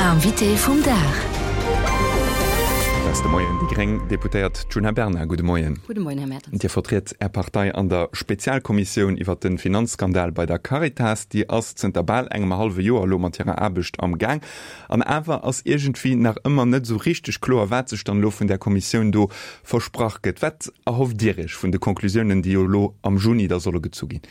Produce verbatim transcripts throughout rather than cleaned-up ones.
Invité vum Dag. Dat ass de Moien déi gréng Deputéiert Djuna Bernard. Gudde Moien. Gudde Moien, Här Mertens. Dir vertritt Är Partei an der Spezialkommissioun iwwer de Finanzskandal bei der Caritas. Déi ass zënter bal engem hallwe Joer elo mat hirer Aarbecht am Gaang. An awer ass iergendwéi nach ëmmer net esou richteg kloer, wat sech dann elo vun där Kommissioun do versprach gëtt. Wat erhofft Dir Iech vun de Conclusiounen, déi jo elo am Juni da solle gezu ginn?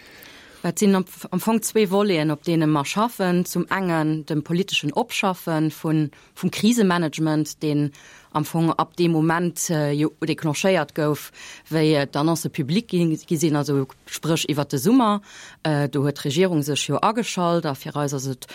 Et sinn am Fong zwee Voleten, op deene mer schaffen. Zum engen dem politeschen Opschaffe vun, vum Krisemanagement, deen am Fong ab deem Moment jo declenchéiert gouf, wéi d'Annoncë public gi sinn, also spréch iwwert de Summer. Do huet d'Regierung sech jo ageschalt a fir eis ass et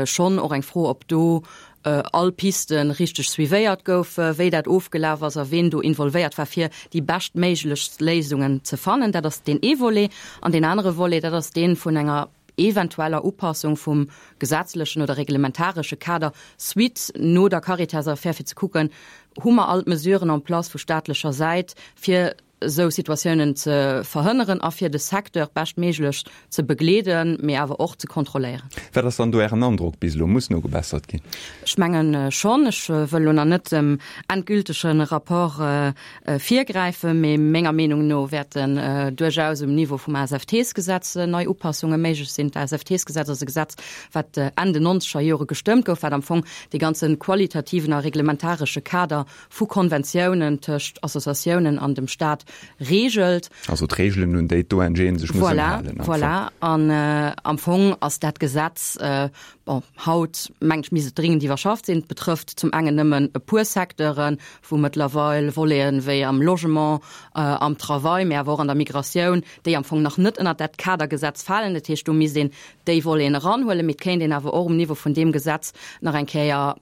schonn och eng Fro, ob do all Piste richteg suivéiert goufe, wéi dat ofgelaf ass a ween do involvéiert war, fir déi beschtméiglechst Léisungen ze fannen. Dat ass deen ee Volet. An deen anere Volet, dat ass dee vun enger eventueller Upassung vum gesetzlechen oder reglementaresche Kader suite no der Caritas-Affär, fir ze kucken, hu mer all d'Mesuren en place vu staatlecher Säit, fir esou Situatiounen ze verhënneren a fir de Secteur beschtméiglech ze begleeden, mee awer och ze kontrolléieren. Wat ass dann do Ären Androck bis elo? Muss nogebessert ginn? Ech mengen schonn. Ech wëll elo nach net dem endgültege Rapport virgräifen, mee menger Meenung no wäerten duerchaus um Niveau vum ASFTs-Gesetz nei Upassunge méiglech sinn. D'ASFTs-Gesetz ass e Gesetz, wat Enn den nonzeger Jore gestëmmt gouf, wat am Fong dee ganze qualitativen a reglementaresche Kader vu Konventiounen tëscht Associatiounen an dem Staat reegelt. Also d'Reegelen, un déi d'ONGen sech mussen halen. Voilà, voilà. An am Fong ass dat Gesetz, bon, haut mengen ech misst et dringend iwwerschafft sinn. Et betrëfft zum engen nëmmen e puer Secteuren, wou mëttlerweil Voleten wéi am Logement, am Travail, mä awer och an der Migratioun, déi am Fong nach net ënnert dat Kadergesetz falen. Dat heescht, do misst een déi Voleten eranhuelen, mee et kéint een awer och um Niveau vun deem Gesetz nach eng Kéier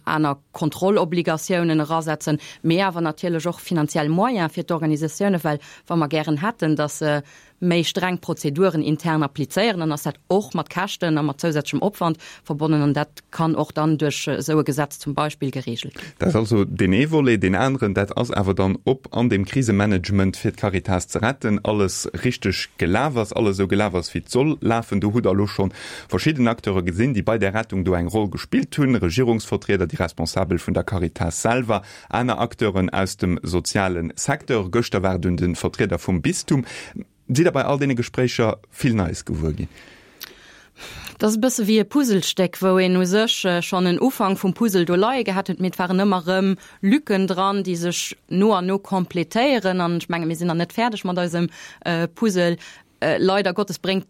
aner Kontrollobligatiounen erasetzen, mee awer natierlech och finanziell Moyene fir d'Organisatiounen, well wa mer gären hätten, datt se méi streng Prozeduren intern applizéieren, dann ass dat och mat Käschten a mat zousätzlechem Opwand verbonnen an dat kann och dann duerch esou e Gesetz zum Beispill geregelt ginn. Dat ass also deen ee Volet. Deen aneren, dat ass awer dann, ob an deem Krisemanagement, fir d'Caritas ze retten, alles richteg gelaf ass, alles esou gelaf ass, wéi et soll lafen. Do hutt Der elo scho verschidden Acteure gesinn, déi bei där Rettung do eng Roll gespillt hunn, Regierungsvertrieder, déi Responsabel vun der Caritas selwer, aner Acteuren aus dem soziale Secteur. Gëschter war et un de Vertrieder vum Bistum. Sidd Der bei all deene Gespréicher vill Neies gewuer ginn? Dat ass e bësse wéi e Puzzlestéck, wou een u sech schonn en Ufank vum Puzzle do leie gehat huet, mee et waren ëmmer erëm Lücken dran, déi sech no an no completéieren. An ech menge mir sinn nach net fäerdeg mat eisem Puzzle. Leider Gottes bréngt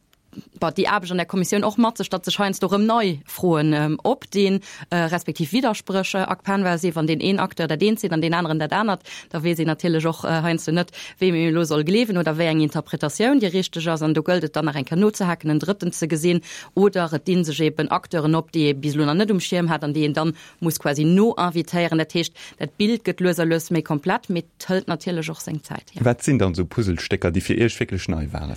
Bon, déi Aarbecht an der Kommissioun och mat sech, datt sech heiansdo erëm nei Froen opdinn, respektiv Widderspréch erkennbar sinn. Wann deen een Acteur dat eent seet an deen aneren dat anert, da weess een natierlech och heiansdo net, weem een elo soll gleewen oder wéi eng Interpretatioun déi richteg ass. An do gëllt et dann nach eng Kéier nozehaken, en Drëtten ze gesinn. Oder et di sech eben Acteuren op, déi ee bis elo nach net um Schierm hat an déi een dann muss quasi no-invitéieren. Dat heescht, dat Bild gëtt lues a lues méi komplett, mee et hëlt natierlech och seng Zäit. Wat sinn dann esou Puzzlestécker, déi fir Iech wierklech nei waren?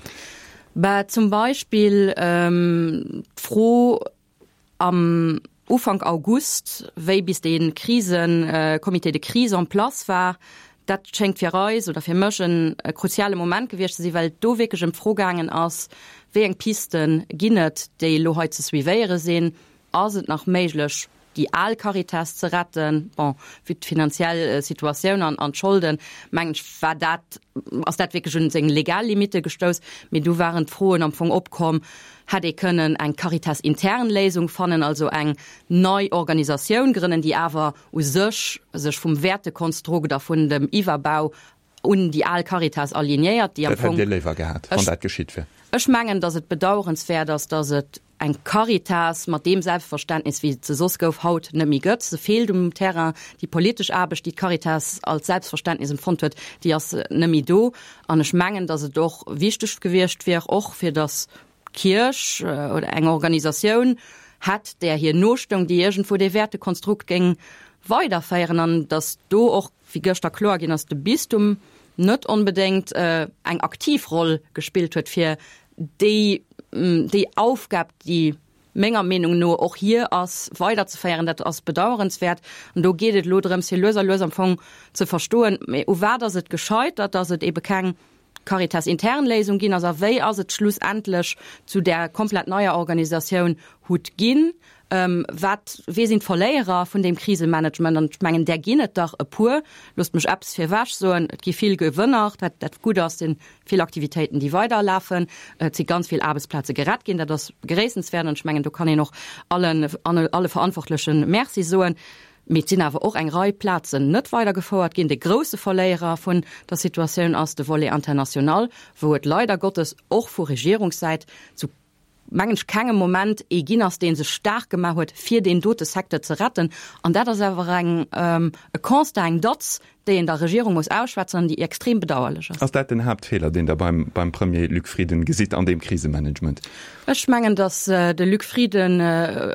Bah, zum Beispill d'Fro am Ufank August, wéi bis dee Krisen-Comité de crise en place war, dat schéngt fir eis oder fir mech e kruziale Moment gewiescht ze sinn, well et do wierklech ëm d'Fro gaangen ass, wéi eng Piste ginn et, déi elo hei ze suivéiere sinn, Ass et nach méiglech, déi al Caritas ze retten? Bon, vue d'finanziell Situatioun an an d'Scholden, mengen ech, war dat, ass dat wierklech un seng legal Limitte gestouss. Mee du waren d'Froen am Fong opkomm, hätt ee kënnen eng Caritas-intern Léisung fannen, also eng nei Organisatioun grënnen, déi awer u sech sech vum Wäertekonstrukt a vun dem Iwwerbau un déi al Caritas alignéiert, déi am Dat hätt Fong. Dir léiwer gehat, wann Ech, dat geschitt wär? ech mengen, datt et bedauerenswäert ass, datt et eng Caritas mat deem Selbstverständnis, wéi et se soss gouf, haut net méi gëtt. Se feelt um Terrain. Déi politesch Aarbecht, déi d'Caritas als Selbstverständnis empfonnt huet, déi ass net méi do. An ech mengen, datt et och wichteg gewiescht wier, och fir datt d'Kierch oder eng Organisatioun hätt, där hir nostoung, déi iergendwou dee Wäertekonstrukt géing weiderféieren. An datt do och, wéi gëschter kloer ginn ass, de Bistum net onbedéngt eng aktiv Roll gespillt huet, fir déi, déi Aufgab, déi menger Meenung no och hir ass, weiderzeféieren. Dat ass bedauerenswäert. An do geet et elo drëms, fir lues a lues am Fong ze verstoen, mä u wat ass et gescheitert, dass et ebe keng Caritas-intern Léisung ginn ass a wéi ass et schlussendlech zu där komplett neier Organisatioun hutt ginn. Wat, wie sinn d'Verléierer vun deem Krisemanagement? An ech mengen, där ginn et der e puer. Loosst mech eppes virwech soen, Et gi vill Gewënner, wat dat gutt ass, sinn vill Aktivitéiten, déi weiderlafen. Et si ganz vill Aarbechtsplaze gerett ginn, dat ass begréissenswäert an ech mengen, do kann een och allen, alle Verantwortleche Merci soen. Mee et sinn awer och eng Rei Plazen net weidergefouert ginn. De grousse Verléierer vun der Situatioun ass de Volet international, wou et leider Gottes och vu Regierungssäit zu, mengen ech, kengem Moment ee ginn ass, dee sech staark gemaach huet, fir deen dote Secteur ze retten. An dat ass awer eng, e Constat, eng Datz, déi een der Regierung muss ausschwätzen an déi extrem bedauerlech ass. Ass dat den Haaptfeeler, deen Der beim, beim Premier Luc Frieden gesitt an deem Krisemanagement? Ech mengen, datt de Luc Frieden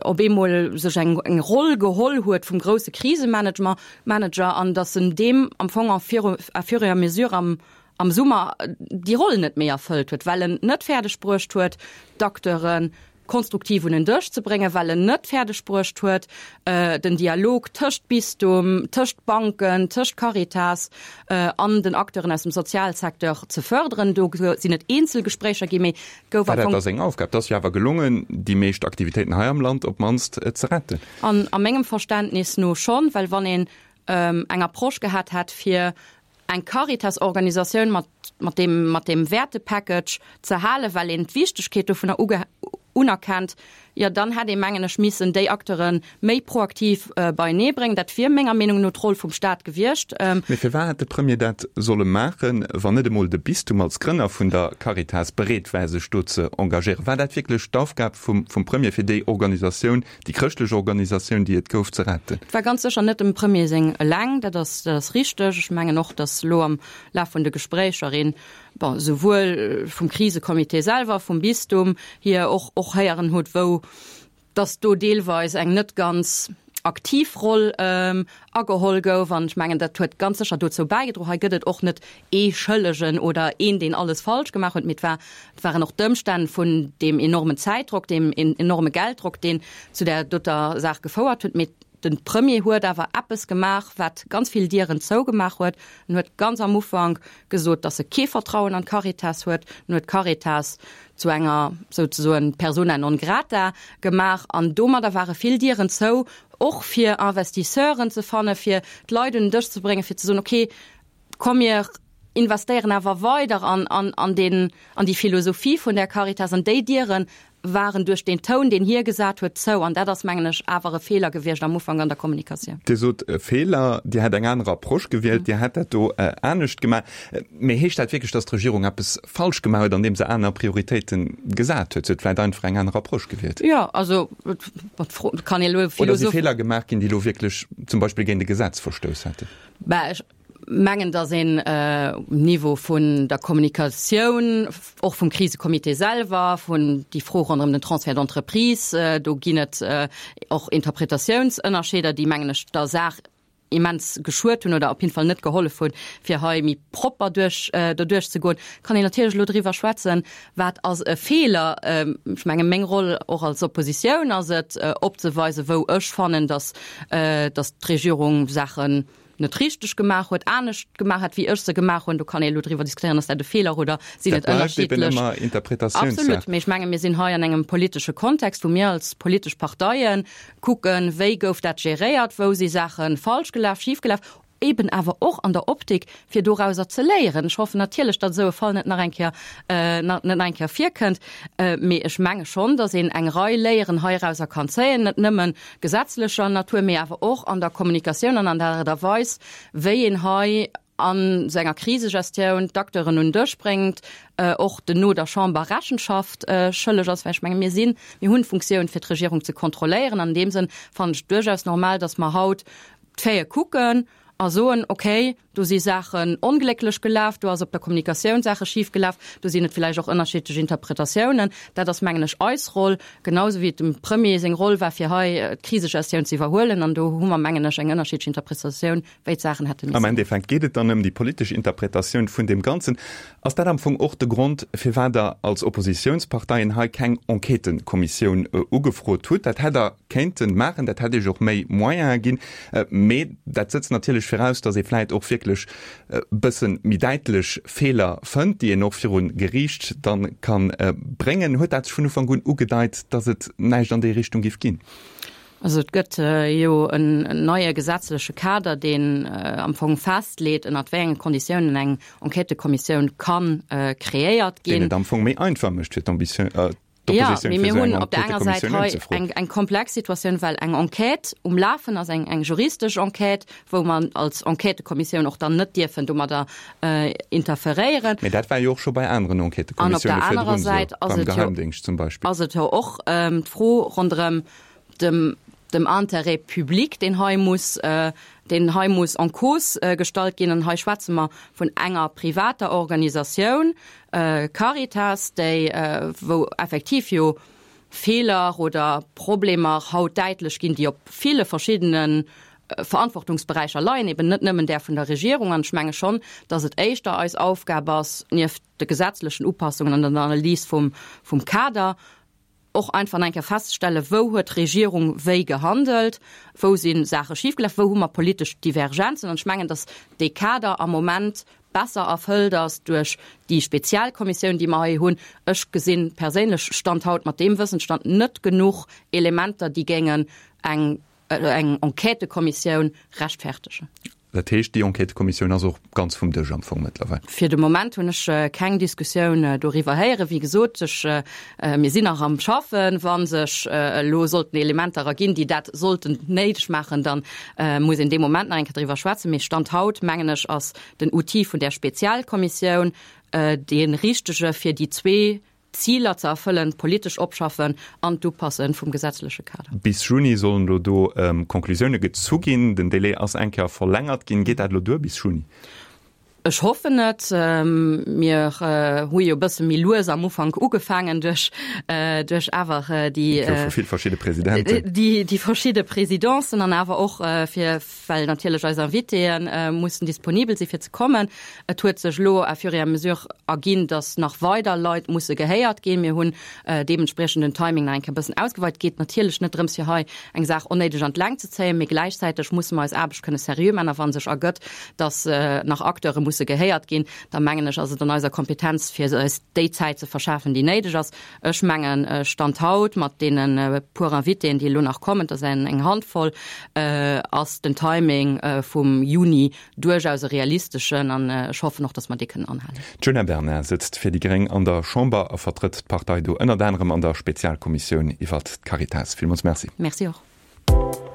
op eemol sech eng, eng Roll geholl huet vum grousse Krisemanager Manager an datt en deem am Fong à fur, à fur et à mesure am, am Summer déi Roll net méi erfëllt huet, well en net fäerdeg bruecht huet, d'Acteure konstruktiv un en Dësch ze bréngen, well en net fäerdeg bruecht huet, den Dialog tëscht Bistum, tëscht Banken, tëscht Caritas an den Acteuren aus dem Sozialsecteur ze fërderen. Do sinn et eenzel Gespréicher ginn, mee et gouf War am dat Fong. da seng Aufgab? Et ass jo awer gelongen, déi meescht Aktivitéiten hei am Land op d'mannst ze retten. An a mengem Verständnis no schonn, well wann een eng Approche gehat hätt, fir eng Caritas-Organisatioun mat, mat deem, mat deem Wäertepackage ze halen, well een d'Wichtegkeet dovunner uge, unerkennt, jo dann hätt ee mengen ech missen déi Acteure méi proaktiv beienee bréngen. Dat wier menger Meenung no d'Roll vum Staat gewiescht. Mee firwat hätt de Premier dat solle maachen, wann net emol de Bistum als Grënner vun der Caritas bereet war, sech do ze engagéieren? War dat wierklech d'Aufgab vum, vum Premier, fir déi Organisatioun, déi chrëschtlech Organisatioun, déi et gouf, ze retten? Et war ganz sécher net dem Premier seng eleng, dat ass, dat ass richteg. Ech mengen och, datt elo am Laf vun de Gespréicher een, bon, souwuel vum Krisecomité selwer, vum Bistum hier och, och héieren huet, wou datt do deelweis eng net ganz aktiv Roll ageholl gouf. An ech mengen, dat huet ganz sécher dozou bäigedroen. Hei gëtt et och net ee Schëllegen oder een, deen alles falsch gemaach huet, mee et war, et waren och d'Ëmstänn vun deem enormen Zäitdrock, deem enorme Gelddrock, deen zu där doter Saach gefouert huet. Mee de Premier huet awer eppes gemaach, wat ganz vill Dieren zougemaach huet. En huet ganz am Ufank gesot, datt e kee Vertrauen an d'Caritas huet. En huet d'Caritas zu enger souzesoen Persona non grata gemaach an domadder ware vill Dieren zou, och fir Investisseuren ze fannen, fir d'Leit un den Dësch ze bréngen, fir ze soen, okay, komm mir investéieren awer weider an, an, an den, an déi Philosophie vun der Caritas. An déi Diere waren duerch deen Toun, deen hie gesat huet, zou. An dat ass, mengen ech, awer e Feeler gewiescht am Ufank an der Kommunikatioun. Dir sot e Feeler, Dir hätt eng aner Approche gewielt, Dir hätt dat do anescht gemaach. Mee heescht dat wierklech, datt d'Regierung eppes falsch gemaach huet, andeem se aner Prioritéite gesat huet? Se huet vläicht einfach eng aner Approche gewielt. Jo, also et kann ee elo Oder si Feeler gemaach ginn, déi elo wierklech zum Beispill géint e Gesetz verstouss hätten? Bah, ech mengen, datt een um Niveau vun der Kommunikatioun, och vum Krisecomité selwer, vun déi Fro ronderëm den Transfert d'entreprise, do ginn et och Interpretatiounsënnerscheeder, déi, mengen ech, der Saach immens geschuet hunn oder op jidde Fall net gehollef hunn, fir hei méi propper duerch doduerch ze goen. Kann een natierlech elo driwwer schwätzen, wat ass e Feeler. Ech menge meng Roll och als Oppositioun ass et, opzeweisen, wou ech fannen, datt datt d'Regierung Saachen net richteg gemaach huet, anescht gemaach hätt, wéi ech se gemaach hunn. Do kann ee elo driwwer diskutéieren, ass dat e Feeler oder sinn et ënnerschiddlech. Absolut, mee ech menge mir sinn hei an engem politesche Kontext, wou mir als politesch Parteie kucken, wéi gouf dat geréiert, wou si Saache falsch gelaf, schif gelaf, eben awer och an der Optik, fir dorauser ze léieren. Ech hoffen natierlech, datt esou e Fall net nach eng Kéier, net nach eng Kéier virkënnt, mee ech menge schonn, datt een eng Rei Léieren heirauser kann zéien, net nëmme gesetzlecher Natur, mee awer och an der Kommunikatioun an an der Aart a Weis, wéi een hei an esou enger Krisegestioun d'Acteuren un den Dësch bréngt, och den no der Chamber Rechenschaft schëlleg ass, well ech menge mir sinn, mir hunn d'Funktioun fir d'Regierung ze kontrolléieren. An deem Sënn fannen ech et duerchaus normal, datt mer haut d'Faite kucken a soen, okay, do si Saachen onglécklech gelaf, do ass op der Kommunikatioun Saache schif gelaf, do sinn et villäicht och ënnerschiddlech Interpretatiounen. Dat ass, mengen ech, eis Roll, genau esou wéi et dem Premier seng Roll war, fir hei d'Krisegestioun ze iwwerhuelen. An do hu mer, mengen ech, eng ënnerschiddlech Interpretatioun, wéi d'Saachen hätte missen. Am Endeffekt geet et dann ëm déi politesch Interpretatioun vun deem Ganzen. Ass dat am Fong och de Grond, firwat Der als Oppositiounsparteien hei keng Enquêtëkommissioun ugefrot hutt? Dat hätt Der kéinte maachen, dat hätt Iech och méi Moyene ginn. Mee dat sëtzt natierlech viraus, datt ee vläit och wierklech e bësse méi däitlech Feeler fënnt, déi een och viru Geriicht da ka bréngen. Huet dat sech vun Ufank un ugedeit, datt et näischt an déi Richtung géif ginn? Also et gëtt jo en neie gesetzleche Kader, deen am Fong festleet, ënnert wéi enge Konditiounen eng Enquêtëkommissioun ka kreéiert ginn. Deen et am Fong méi einfach mécht fir d'Ambition, d'Oppositioun, fir esou eng Enquêtëkommissioun unzefroen. Eng komplex Situatioun, well eng Enquête um Lafen ass, eng juristesch Enquête, wou mer als Enquêtëkommissioun och dann net dierfen domadder interferéieren. Mee dat war jo och scho bei aneren Enquêtëkommissioune virdrun esou, beim Geheimdéngscht zum Beispill. Ass et jo och d'Fro ronderëm dem dem Intérêt public, deen hei muss, deen hei muss en cause gestallt ginn. An hei schwätze mer vun enger privater Organisatioun, Caritas, déi, wou effektiv jo Feeler oder Problemer haut däitlech ginn, déi op ville verschiddene Verantwortungsberäicher leien, eben net nëmmen där vun der Regierung. An ech menge schonn, datt et éischter eis Aufgab ass, nieft de gesetzlechen Upassungen an der Analys vum Kader, och einfach eng Kéier festzestellen, wou huet d'Regierung wéi gehandelt, wou si Saache schifgelaf, wou hu mer politesch Divergenzen. An ech mengen, datt dee Kader am Moment besser erfëllt ass duerch déi Spezialkommissioun, déi mer hei hunn. Ech gesi perséinlech, Stand haut, mat deem Wëssensstand net genuch Elementer, déi géingen eng Enquêtëkommissioun rechtfertegen. Dat heescht, déi Enquêtëkommissioun ass och ganz vum Dësch am Fong mëttlerweil? Fir de Moment hunn ech keng Diskussioun doriwwer héieren. Wéi gesot, ech, mir sinn nach am Schaffen. Wa sech elo sollten Elementer erginn, déi dat sollten néideg maachen, da muss een dee Moment nach eng Kéier driwwer schwätzen. Mee Stand haut, mengen ech, ass den Outil vun där Spezialkommissioun dee richtege fir déi zwee Ziler ze erfëllen, politesch Opschaffen an d'Upasse vum gesetzleche Kader. Bis Juni sollen elo do Conclusioune gezu ginn. Den Délai ass eng Kéier verlängert ginn. Geet dat elo duer bis Juni? Ech hoffen et. Mir hu jo e bësse méi lues am Ufank ugefaangen duerch, duerch awer déi. Et goufe vill verschidde Presidenten. Déi verschidde Presidencen an awer och fir, well natierlech eis Invitéë mussen disponibel si fir ze kommen. Et huet sech elo à fur et à mesure erginn, dass nach weider Leit musse gehéiert ginn. Mir hunn deementspriechend den Timing nach eng Kéier e bëssen ausgeweit. Et geet natierlech net drëms, fir hei eng Saach onnéideg an d'Längt ze zéien, mee gläichzäiteg musse mer eis Aarbecht kënne seriö maachen. A wa sech ergëtt, dass nach Acteure musse gehéiert ginn, da mengen ech, ass et an eiser Kompetenz, fir eis déi Zäit ze verschafen, déi néideg ass. Ech mengen, Stand haut, mat deene puer Invitéen, déi elo nach kommen, dat ass eng Handvoll, ass den Timing vum Juni duerchaus e realisteschen an ech hoffen och, datt mer dee kënnen anhalen. D'Djuna Bernard sëtzt fir déi gréng an der Chamber a vertrëtt d'Partei do ënnert anerem an der Spezialkommissioun iwwert d'Caritas. Villmools Merci. Merci och.